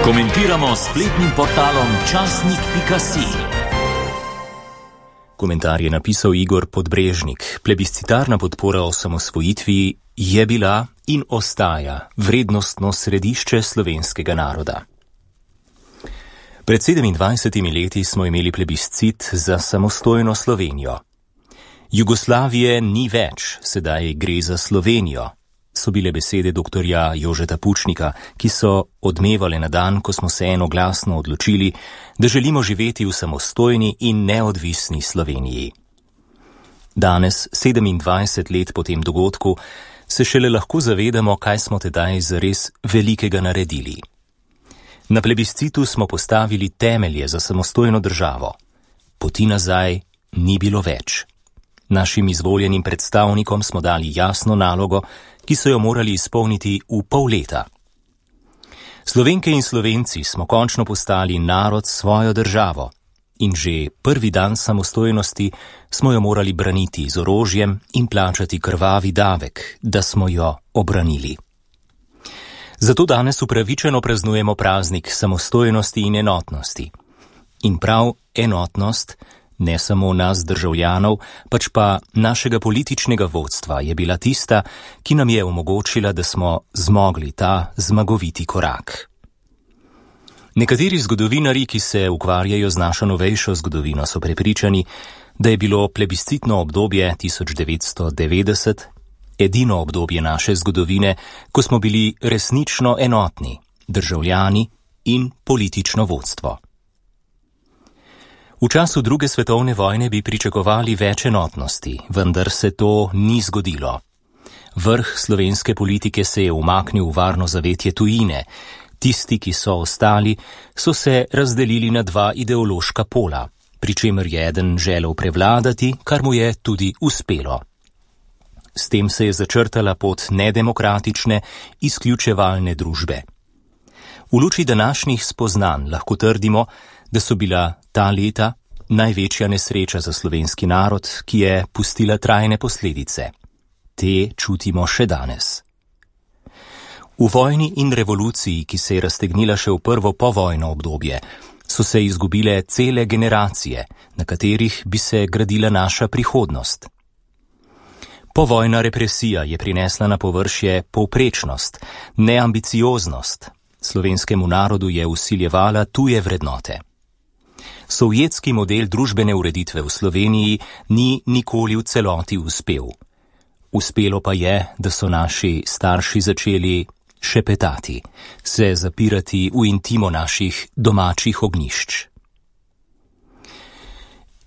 Komentiramo s spletnim portalom časnik.si. Komentar je napisal Igor Podbrežnik. Plebiscitarna podpora osamosvojitvi je bila in ostaja vrednostno središče slovenskega naroda. Pred 27 leti smo imeli plebiscit za samostojno Slovenijo. Jugoslavije ni več, sedaj gre za Slovenijo, so bile besede doktorja Jožeta Pučnika, ki so odmevale na dan, ko smo se enoglasno odločili, da želimo živeti v samostojni in neodvisni Sloveniji. Danes, 27 let po tem dogodku, se šele lahko zavedamo, kaj smo tedaj zares velikega naredili. Na plebiscitu smo postavili temelje za samostojno državo. Poti nazaj ni bilo več. Našim izvoljenim predstavnikom smo dali jasno nalogo, ki so jo morali izpolniti v pol leta. Slovenke in Slovenci smo končno postali narod s svojo državo in že prvi dan samostojnosti smo jo morali braniti z orožjem in plačati krvavi davek, da smo jo obranili. Zato danes upravičeno praznujemo praznik samostojnosti in enotnosti. In prav enotnost, ne samo nas državljanov, pač pa našega političnega vodstva je bila tista, ki nam je omogočila, da smo zmogli ta zmagoviti korak. Nekateri zgodovinarji, ki se ukvarjajo z našo novejšo zgodovino, so prepričani, da je bilo plebiscitno obdobje 1990 edino obdobje naše zgodovine, ko smo bili resnično enotni, državljani in politično vodstvo. V času druge svetovne vojne bi pričakovali več enotnosti, vendar se to ni zgodilo. Vrh slovenske politike se je umaknil v varno zavetje tujine. Tisti, ki so ostali, so se razdelili na dva ideološka pola, pri čemer je eden želel prevladati, kar mu je tudi uspelo. S tem se je začrtala pot nedemokratične, izključevalne družbe. V luči današnjih spoznanj lahko trdimo, da so bila ta leta največja nesreča za slovenski narod, ki je pustila trajne posledice. Te čutimo še danes. V vojni in revoluciji, ki se je raztegnila še v prvo povojno obdobje, so se izgubile cele generacije, na katerih bi se gradila naša prihodnost. Povojna represija je prinesla na površje povprečnost, neambicioznost. Slovenskemu narodu je vsiljevala tuje vrednote. Sovjetski model družbene ureditve v Sloveniji ni nikoli v celoti uspel. Uspelo pa je, da so naši starši začeli šepetati, se zapirati v intimo naših domačih ognjišč.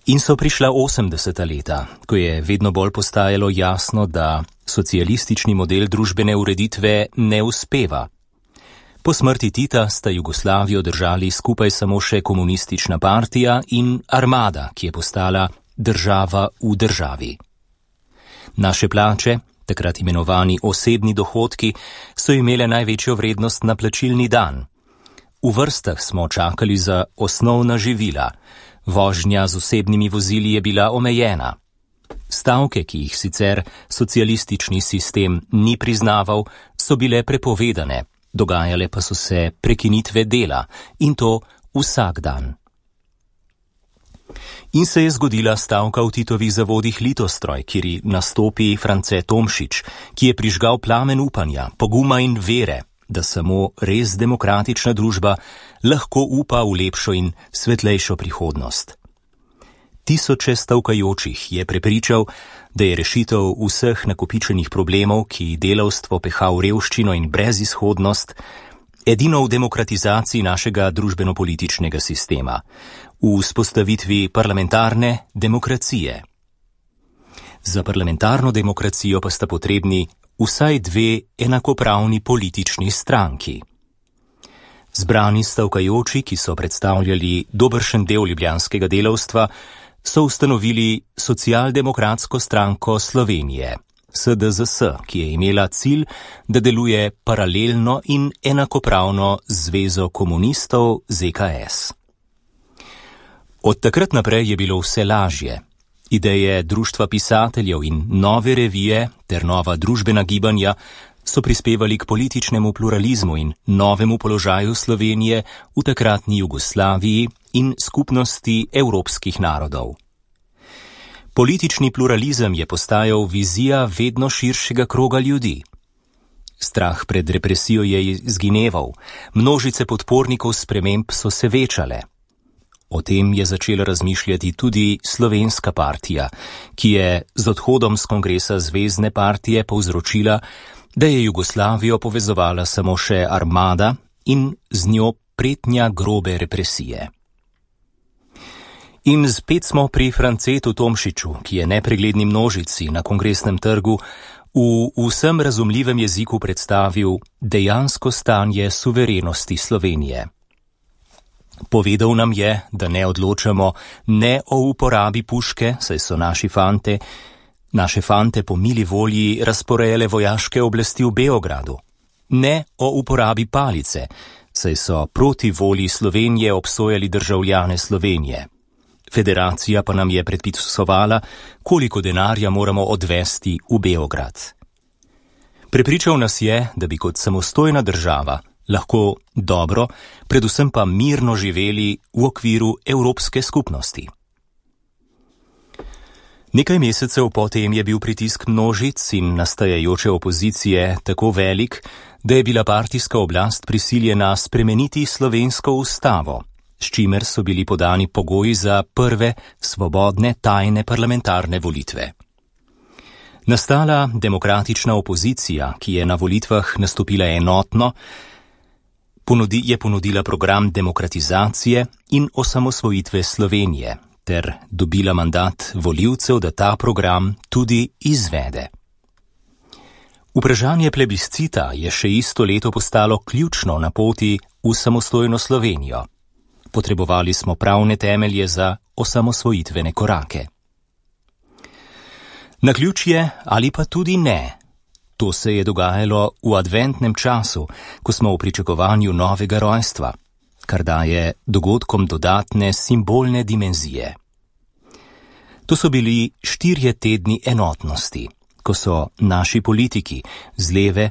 In so prišla 80. leta, ko je vedno bolj postajalo jasno, da socialistični model družbene ureditve ne uspeva. Po smrti Tita sta Jugoslavijo držali skupaj samo še komunistična partija in armada, ki je postala država v državi. Naše plače, takrat imenovani osebni dohodki, so imele največjo vrednost na plačilni dan. V vrstah smo čakali za osnovna živila, vožnja z osebnimi vozili je bila omejena. Stavke, ki jih sicer socialistični sistem ni priznaval, so bile prepovedane. Dogajale pa so se prekinitve dela in to vsak dan. In se je zgodila stavka v Titovih zavodih Litostroj, kjer nastopi France Tomšič, ki je prižgal plamen upanja, poguma in vere, da samo res demokratična družba lahko upa v lepšo in svetlejšo prihodnost. Tisoče stavkajočih je prepričal, da je rešitev vseh nakopičenih problemov, ki delavstvo peha v revščino in brezizhodnost, edino v demokratizaciji našega družbeno-političnega sistema, v vzpostavitvi parlamentarne demokracije. Za parlamentarno demokracijo pa sta potrebni vsaj dve enakopravni politični stranki. Zbrani stavkajoči, ki so predstavljali dobršen del ljubljanskega delavstva, so ustanovili Socialdemokratsko stranko Slovenije, SDZS, ki je imela cilj, da deluje paralelno in enakopravno z Zvezo komunistov ZKS. Od takrat naprej je bilo vse lažje. Ideje Društva pisateljev in nove revije ter nova družbena gibanja so prispevali k političnemu pluralizmu in novemu položaju Slovenije v takratni Jugoslaviji in skupnosti evropskih narodov. Politični pluralizem je postajal vizija vedno širšega kroga ljudi. Strah pred represijo je izgineval, množice podpornikov sprememb so se večale. O tem je začela razmišljati tudi Slovenska partija, ki je z odhodom z kongresa Zvezne partije povzročila, da je Jugoslavijo povezovala samo še armada in z njo pretnja grobe represije. In spet smo pri Francetu Tomšiču, ki je nepregledni množici na Kongresnem trgu v vsem razumljivem jeziku predstavil dejansko stanje suverenosti Slovenije. Povedal nam je, da ne odločamo ne o uporabi puške, saj so naše fante po mili volji razporejale vojaške oblasti v Beogradu, ne o uporabi palice, saj so proti volji Slovenije obsojali državljane Slovenije. Federacija pa nam je predpisovala, koliko denarja moramo odvesti v Beograd. Prepričal nas je, da bi kot samostojna država lahko dobro, predvsem pa mirno živeli v okviru Evropske skupnosti. Nekaj mesecev potem je bil pritisk množic in nastajajoče opozicije tako velik, da je bila partijska oblast prisiljena spremeniti slovensko ustavo, s čimer so bili podani pogoji za prve, svobodne, tajne parlamentarne volitve. Nastala demokratična opozicija, ki je na volitvah nastopila enotno, je ponudila program demokratizacije in osamosvojitve Slovenije, ter dobila mandat volivcev, da ta program tudi izvede. Vprašanje plebiscita je še isto leto postalo ključno na poti v samostojno Slovenijo. Potrebovali smo pravne temelje za osamosvojitvene korake. Naključje ali pa tudi ne. To se je dogajalo v adventnem času, ko smo v pričakovanju novega rojstva, kar daje dogodkom dodatne simbolne dimenzije. To so bili 4 tedni enotnosti, ko so naši politiki z leve,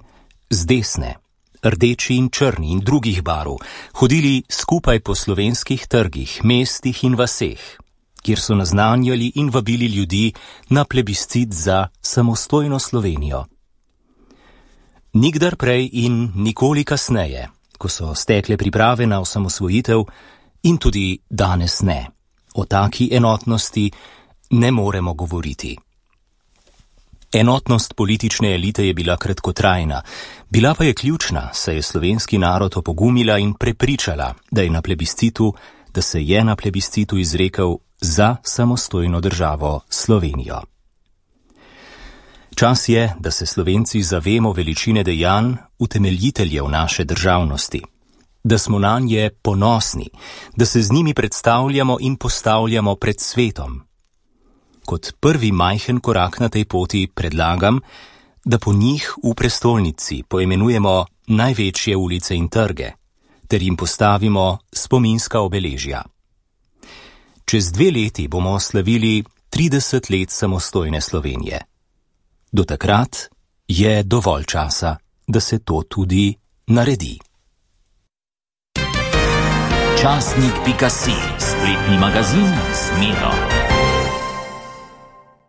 z desne, rdeči in črni in drugih barv, hodili skupaj po slovenskih trgih, mestih in vaseh, kjer so naznanjali in vabili ljudi na plebiscit za samostojno Slovenijo. Nikdar prej in nikoli kasneje, ko so stekle priprave na osamosvojitev, in tudi danes ne. O taki enotnosti ne moremo govoriti. Enotnost politične elite je bila kratkotrajna, bila pa je ključna, saj je slovenski narod opogumila in prepričala, da se je na plebiscitu izrekel za samostojno državo Slovenijo. Čas je, da se Slovenci zavemo veličine dejanj utemeljiteljev naše državnosti, da smo nanje ponosni, da se z njimi predstavljamo in postavljamo pred svetom. Kot prvi majhen korak na tej poti predlagam, da po njih v prestolnici poimenujemo največje ulice in trge, ter jim postavimo spominska obeležja. Čez 2 leti bomo slavili 30 let samostojne Slovenije. Do takrat je dovolj časa, da se to tudi naredi. Časnik.si, spletni magazin z Miro.